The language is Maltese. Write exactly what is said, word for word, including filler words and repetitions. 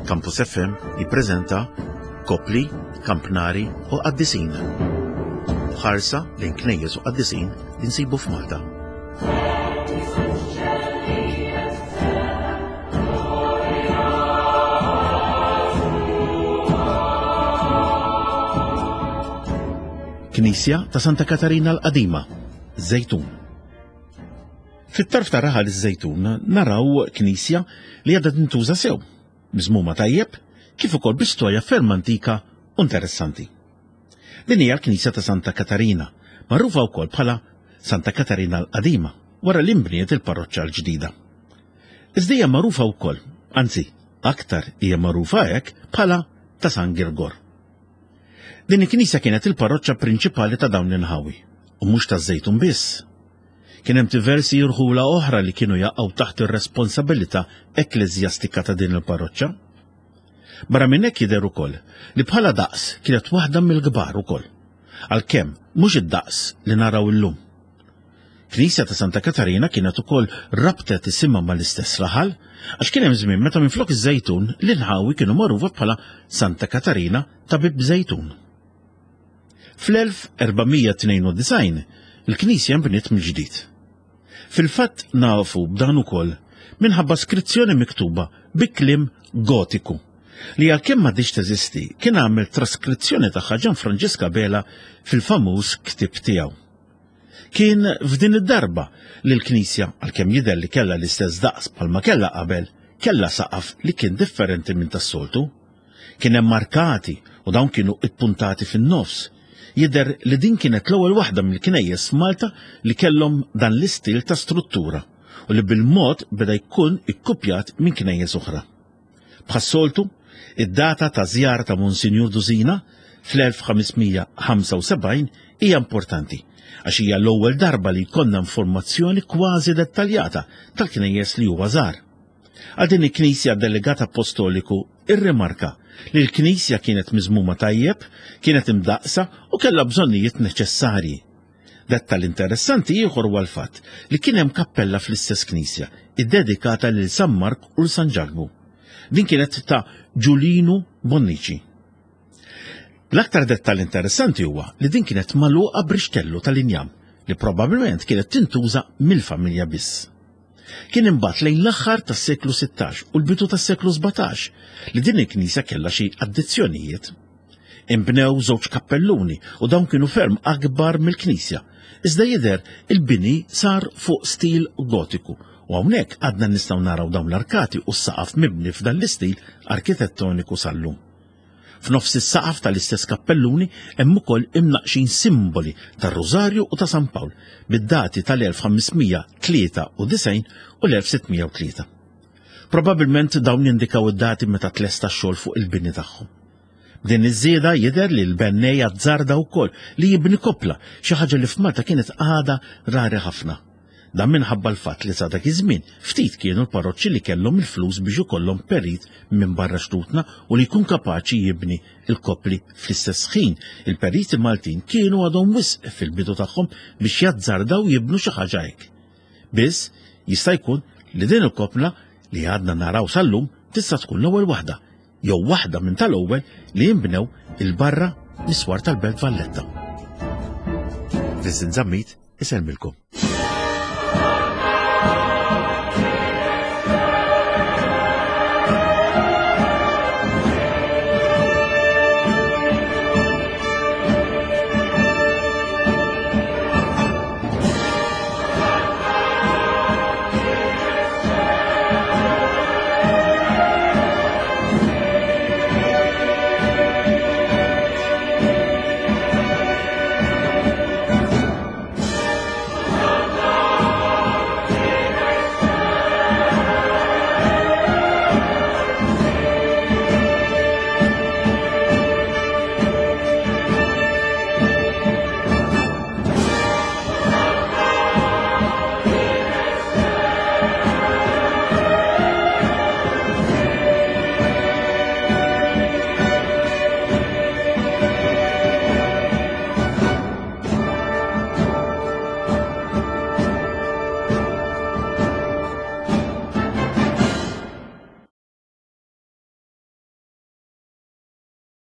Campus F M jippreżenta Kopli, Kampnari u Qaddisin. Ħarsa lejn knejjes u qaddisin li nsibu f'Malta. Knisja ta' Santa Katarina l-Qadima, Żejtun. Fit-tarf ta' raħal iż-Żejtun naraw knisja li għadha tintuża sew, miżmuma tajjeb, kif ukoll bi storja ferm antika u interessanti. Din hija l-Knisja ta' Santa Katarina, magħrufa wkoll bħala Santa Katarina l-Qadima, wara li nbniet il-parroċċa l-ġdida. Iżda hija magħrufa wkoll, anzi, aktar hija magħrufa hekk bħala ta' San Girgor. Din il-knisja kienet il-parroċċa prinċipali ta' dawn l-inħawi, u mhux taż-Żejtun biss. Kien hemm diversi rħula oħra li kienu jaqgħu taħt ir-responsabilità ekkleżjastika ta' din il-parroċċa. Barra minn hekk jidher ukoll li bħala daqs kienet waħda mill-kbar ukoll, għalkemm mhux id-daqs li naraw illum. Knisja ta' Santa Katarina kienet ukoll rabtet isimha mal-istess raħal, għax kien hemm żmien meta minflok iż-Żejtun l-inħawi kienu magħrufa bħala Santa Katarina ta' Bib Żejtun. Fl-elf erbamija tnejn u disgħin il-knisja nbniet mill-ġdid. Fil-fatt nafu b'dan ukoll minħabba skrizzjoni miktuba bi kliem gotiku li għalkemm m'għadix teżisti kien għamel traskrizzjoni tagħha Ġan Franġisk Abela fil-famuż ktieb tiegħu. Kien f'din id-darba li l-knisja, għalkemm jidher li kellha l-istess daqs bħalma kellha qabel, kellha saqaf li kien differenti minn tas-soltu. Kien hemm markati u dawn kienu ippuntati fin-nofs. Jidher li din kienet l-ewwel waħda mill-knejjes f'Malta li kellhom dan l-istil ta' struttura u li bil-mod beda jkun ikkupjat minn knejjes oħra. Bħas-soltu, id-data ta' żjara ta' Monsinjur Dusina fl-elf ħamesmija ħamsa u sebgħin hija importanti għax hija l-ewwel darba li jkollna informazzjoni kważi dettaljata tal-knejjes li huwa żar. Għal din il-Knisja delegat apostoliku irrimarka li l-Knisja kienet miżmuma tajjeb, kienet imdaqsa u kellha bżonnijiet neċessarji. Dettal interessanti ieħor huwa l-fatt li kien hemm kappella fl-istess knisja iddedikata lil San Mark u l San Ġakbu. Din kienet ta' Ġulinu Bonnici. L-aktar dettal interessanti huwa li din kienet magħluqa b'rixtellu tal-injam li probabbilment kienet tintuża mill-familja biss. Kien imbagħad lejn l-aħħar tas-seklu sittax u l-bidu tas-seklu sbatax li din il-knisja kellha xi addizzjonijiet. Inbnew żewġ kappelluni u dawn kienu ferm akbar mill-knisja, iżda jidher il-bini sar fuq stil gotiku u hawnhekk għadna nistgħu naraw dawn l-arkati u s-saqaf mibni f'dan l-istil arkitettoniku sal-lum. F'nofs is-saqaf tal-istess kappelluni hemm ukoll imnaqxin simboli tar-Rużarju u ta' San Pawl bid-dati tal-elf ħamesmija tlieta u disgħin u l-elf sittmija u tlieta. Probabbilment dawn jindikaw id-dati meta tlesta x-xogħol fuq il-bini tagħhom. B'din iż-żieda jidher li l-bennej azzarda wkoll li jibni koppla, xi ħaġa li f'Malta kienet għadha rari ħafna. Dan minħabba l-fatt li sa dak iż-żmien ftit kienu l-parroċċi li kellhom il-flus biex ikollhom perit minn barra xtutna u li jkun kapaċi jibni l-koppli fl-istess ħin. Il-periti Maltin kienu għadhom wisq fil-bidu tagħhom biex jazzardaw jibnu xi ħaġa hekk. Biss jista' jkun li din il-koppla li għadna naraw sal-lum tista' tkun l-ewwel waħda jew waħda minn tal-ewwel li jinbnew il-barra mis-swar tal-Belt Valletta. Vincent Zammit isellmilkom.